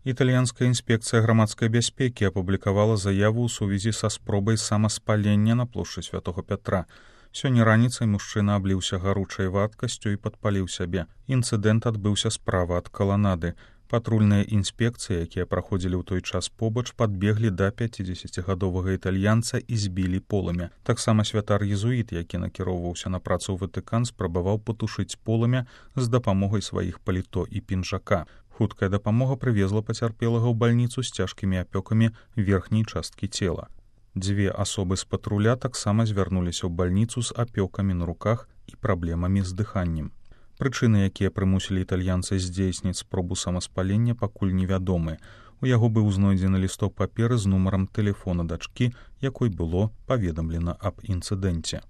Італьянская інспекцыя грамадскай бяспекі апублікавала заяву ў сувязі са спробай самаспалення на плошчы Святога Пятра. Сёння раніцай мужчына абліўся гаручай вадкасцю і падпаліў сябе. Інцыдэнт адбыўся справа ад каланады. Патрульныя інспекцыі, якія праходзілі ў той час побач, падбеглі да 50гадовага італьянца і збілі полымя. Таксама святар-езуіт, які накіроўваўся на працу ў Ватыкан, спрабаваў патушыць полымя з дапамогай сваіх паліто і пінжака. Хуткая дапамога прывезла пацярпелага ў бальніцу з цяжкімі апёкамі верхняй часткі цела. 2 асобы з патруля таксама звярнуліся ў бальніцу з апёкамі на руках і праблемамі з дыханнем. Прычыны, якія прымусілі італьянца здзейсніць спробу самаспалення, пакуль невядомы. У яго быў знойдзены лісток паперы з нумарам тэлефона дачкі, якой было паведамлена аб інцыдэнце.